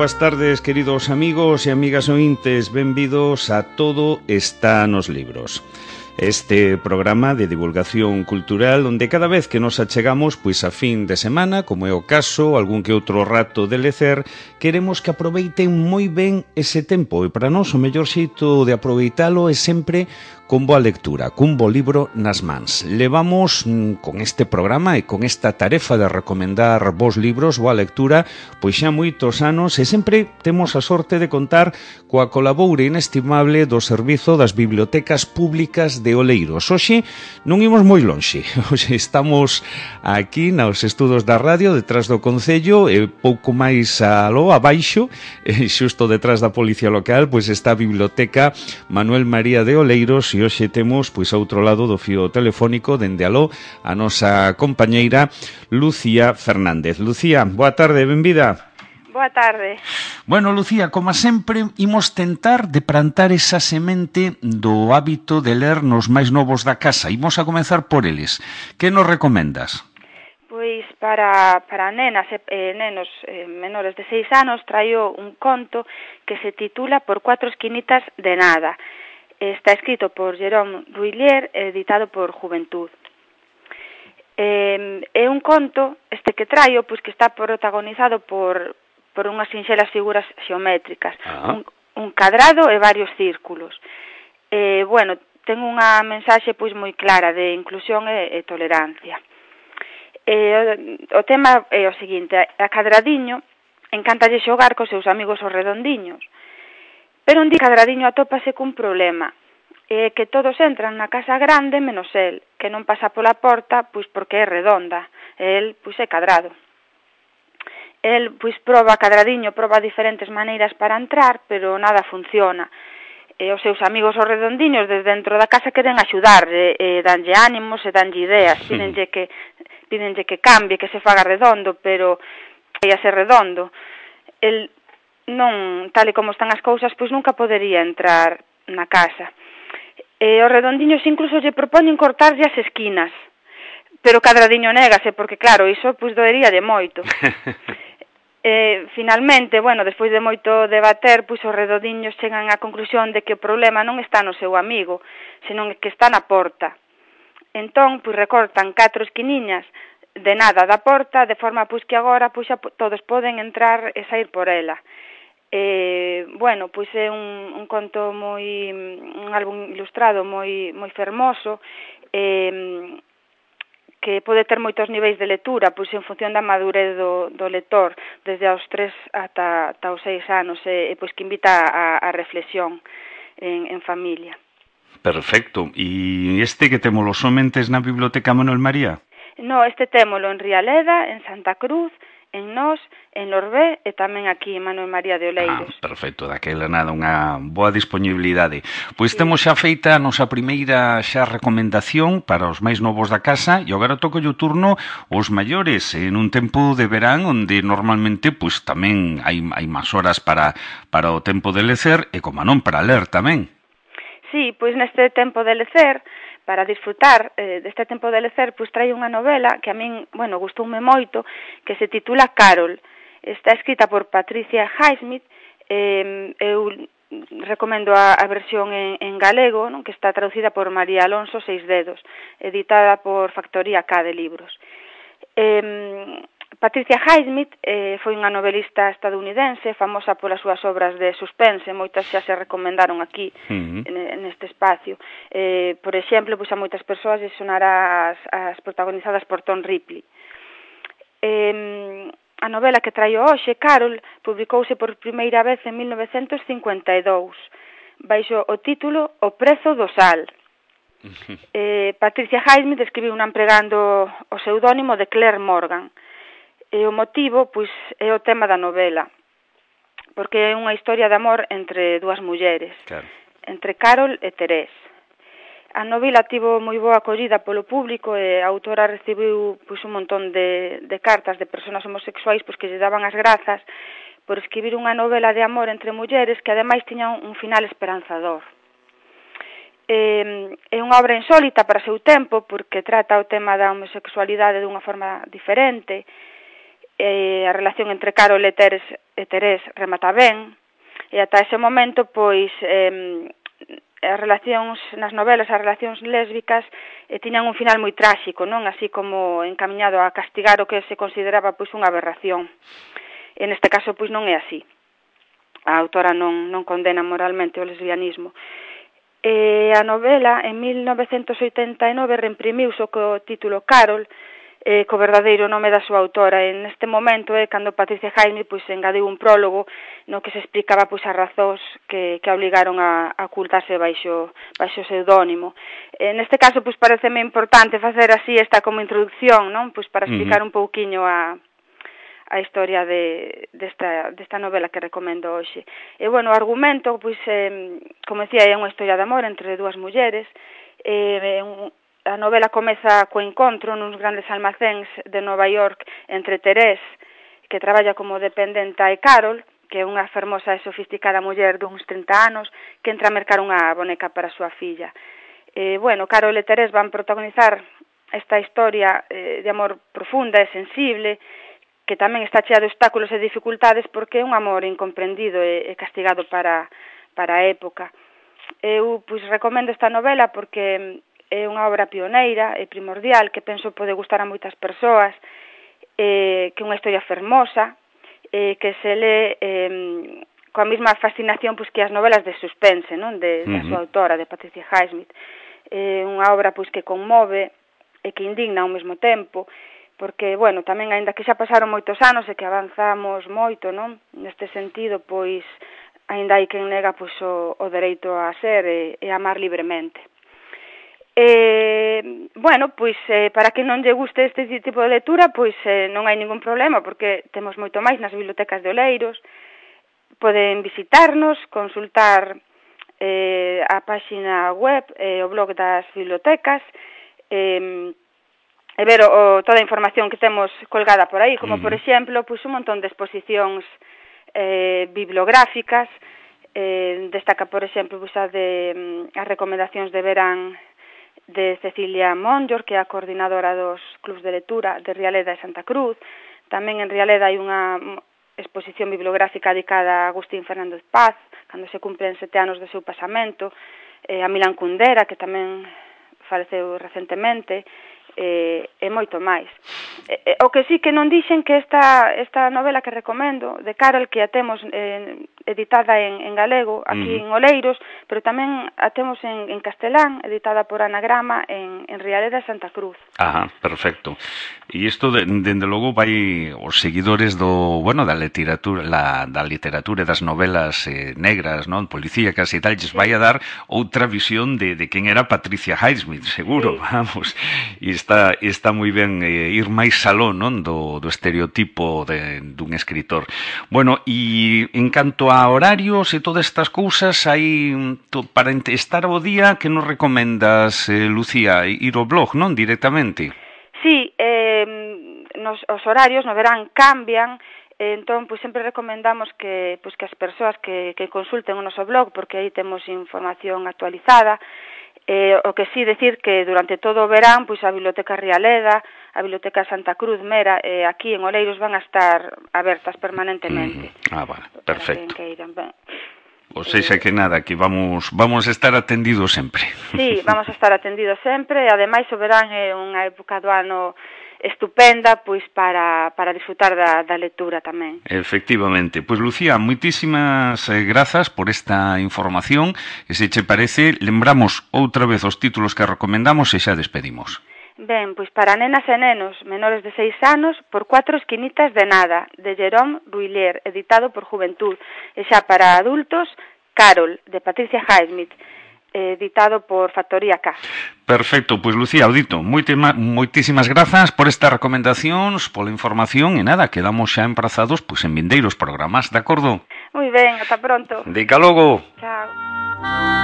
boas tardes, queridos amigos e amigas ointes. Benvidos a Todo está nos libros. Este programa de divulgación cultural onde cada vez que nos achegamos pois a fin de semana, como é o caso, algún que outro rato de lecer, queremos que aproveiten moi ben ese tempo e para nós o mellor xeito de aproveitalo é sempre con boa lectura, cun bo libro nas mans. Levamos con este programa e con esta tarefa de recomendar bons libros, boa lectura, pois xa moitos anos e sempre temos a sorte de contar coa colaboura inestimable do Servizo das Bibliotecas Públicas de Oleiros. Hoxe non imos moi lonxe, hoxe estamos aquí nos estudos da radio, detrás do Concello, e pouco máis aló, abaixo, xusto detrás da Policía Local, pois está a Biblioteca Manuel María de Oleiros, e hoxe temos, pois, a outro lado do fío telefónico, dende aló, a nosa compañeira Lucía Fernández. Lucía, boa tarde, benvida. Boa tarde. Bueno, Lucía, como sempre, imos tentar de plantar esa semente do hábito de ler nos máis novos da casa. Imos a comenzar por eles. Que nos recomendas? Pois para nenas e nenos menores de 6 anos traio un conto que se titula Por 4 esquinitas de nada. Está escrito por Jérôme Ruillier, editado por Juventud. É un conto, este que traio, pois que está protagonizado por unhas sinxelas figuras xeométricas, un cadrado e varios círculos. Bueno, ten unha mensaxe pois moi clara de inclusión e tolerancia. O tema é o seguinte: a Cadradiño encántalle xogar cos seus amigos os redondiños, pero un día Cadradiño atópase cun problema, que todos entran na casa grande menos el, que non pasa pola porta pois porque é redonda, el pois é cadrado. El pois proba diferentes maneiras para entrar, pero nada funciona. Os seus amigos os redondiños desde dentro da casa queren axudar, danlle ánimos e danlle ideas, pídenlle que cambie, que se faga redondo, pero vai a ser redondo. El non, tal e como están as cousas, pois nunca podería entrar na casa. Os redondiños incluso lle propoñen cortarlle as esquinas, pero Cadradiño négase, porque claro, iso pois doería de moito. Finalmente, bueno, despois de moito debater, pois os redondiños chegan á conclusión de que o problema non está no seu amigo, senón que está na porta. Entón, pois recortan 4 esquiniñas de nada da porta, de forma pois que agora pois xa todos poden entrar e sair por ela. Bueno, pois é un conto un álbum ilustrado moi fermoso, que pode ter moitos niveis de lectura, pois en función da madurez do lector, desde aos 3 ata os 6 anos, e pois que invita a reflexión en familia. Perfecto. E este que temos los somentes na Biblioteca Manuel María? No, este témolo en Rialeda, en Santa Cruz, en Nós, en Lorbé e tamén aquí en Manuel María de Oleiros. Perfecto, daquela nada, unha boa disponibilidade. Pois temos xa feita a nosa primeira xa recomendación para os máis novos da casa e agora toca o turno os maiores en un tempo de verán onde normalmente pois tamén hai máis horas para o tempo de lecer e como non para ler tamén. Sí, pois neste tempo de lecer, para disfrutar deste tempo de lecer, pois traio unha novela que a min, bueno, gustoume moito, que se titula Carol. Está escrita por Patricia Highsmith, eu recomendo a versión en galego, non, que está traducida por María Alonso Seisdedos, editada por Factoría K de Libros. Patricia Highsmith foi unha novelista estadounidense famosa polas súas obras de suspense, moitas xa se recomendaron aquí neste espacio. Por exemplo, pois a moitas persoas lles sonará as protagonizadas por Tom Ripley. A novela que traio hoxe, Carol, publicouse por primeira vez en 1952, baixo o título O prezo do sal. Patricia Highsmith escribiu empregando o pseudónimo de Claire Morgan. E o motivo, pois, é o tema da novela, porque é unha historia de amor entre dúas mulleres, claro, entre Carol e Teresa. A novela tivo moi boa acollida polo público e a autora recibiu pois un montón de cartas de persoas homosexuais pois que lle daban as grazas por escribir unha novela de amor entre mulleres que ademais tiña un final esperanzador. É unha obra insólita para o seu tempo porque trata o tema da homosexualidade dunha forma diferente. a relación entre Carol e Terés remata ben, e ata ese momento, pois, as relacións nas novelas, as relacións lésbicas tiñan un final moi tráxico, non? Así como encamiñado a castigar o que se consideraba pois unha aberración. En este caso, pois non é así. A autora non condena moralmente o lesbianismo. A novela, en 1989, reimprimiuse co título Carol, co verdadeiro nome da súa autora. En este momento é cando Patricia Highsmith pois engadiu un prólogo no que se explicaba pois as razóns que obligaron a ocultarse baixo pseudónimo. Neste caso pois pareceme importante facer así esta como introducción, non? Pois para explicar un pouquiño a historia desta novela que recomendo hoxe. E bueno, o argumento pois como decía, é unha historia de amor entre dúas mulleres. A novela comeza co encontro nuns grandes almacéns de Nova York entre Terés, que traballa como dependenta, e Carol, que é unha fermosa e sofisticada muller duns 30 anos, que entra a mercar unha boneca para a súa filla. Bueno, Carol e Terés van protagonizar esta historia de amor profunda e sensible, que tamén está chea de obstáculos e dificultades porque é un amor incomprendido e castigado para a época. Eu pois recomendo esta novela porque é unha obra pioneira e primordial que penso pode gustar a moitas persoas, que é unha historia fermosa, que se lee coa mesma fascinación pois, que as novelas de suspense, non? Da súa autora, de Patricia Highsmith. Unha obra pois que conmove e que indigna ao mesmo tempo, porque, bueno, tamén, aínda que xa pasaron moitos anos e que avanzamos moito, non? Neste sentido, pois, aínda hai quen nega pois, o dereito a ser e a amar libremente. Bueno, pois para que non lle guste este tipo de lectura, pois non hai ningún problema, porque temos moito máis nas bibliotecas de Oleiros. Poden visitarnos, consultar a páxina web, o blog das bibliotecas, e ver toda a información que temos colgada por aí, como por exemplo, pois un montón de exposicións bibliográficas. Destaca, por exemplo, pois as recomendacións de verán de Cecilia Monllor, que é a coordinadora dos clubs de lectura de Rialeda e Santa Cruz. Tamén en Rialeda hai unha exposición bibliográfica dedicada a Agustín Fernández Paz, cando se cumplen 7 anos do seu pasamento, a Milán Kundera, que tamén faleceu recentemente, e moito máis. O que sí que non dixen que esta novela que recomendo, de Carol, que a temos editada en galego, aquí en Oleiros, pero tamén a temos en castelán, editada por Anagrama en Rialeda e Santa Cruz. Perfecto. E isto, dende logo, vai os seguidores da literatura e das novelas negras, non, policíacas e tal, lles vai a dar outra visión de quen era Patricia Highsmith, seguro, vamos. E está moi ben ir máis aló, non, do estereotipo dun escritor. Bueno, e en canto a horarios e todas estas cousas, hai para estar ao día, que nos recomendas, Lucía, ir ao blog, non, directamente? Sí, os horarios no verán cambian, entón pois sempre recomendamos que as persoas que consulten o noso blog, porque aí temos información actualizada. O que sí decir que durante todo o verán pois a Biblioteca Rialeda, a Biblioteca Santa Cruz, Mera, aquí en Oleiros van a estar abertas permanentemente. Vale, perfecto. O sexa que nada, que vamos a estar atendidos sempre. Sí, vamos a estar atendidos sempre, e ademais o verán é unha época do ano estupenda pois para disfrutar da lectura tamén. Efectivamente. Pois Lucía, moitísimas grazas por esta información, e se che parece, lembramos outra vez os títulos que recomendamos e xa despedimos. Ben, pois para nenas e nenos menores de 6 anos, Por 4 esquinitas de nada, de Jérôme Bruyère, editado por Juventud. E xa para adultos, Carol, de Patricia Highsmith, editado por Factoría K. Perfecto, pois Lucía, audito, moitísimas grazas por estas recomendacións, pola información, e nada, quedamos xa emprazados pois en vindeiros programas, de acordo? Moi ben, ata pronto. Dica logo. Chao.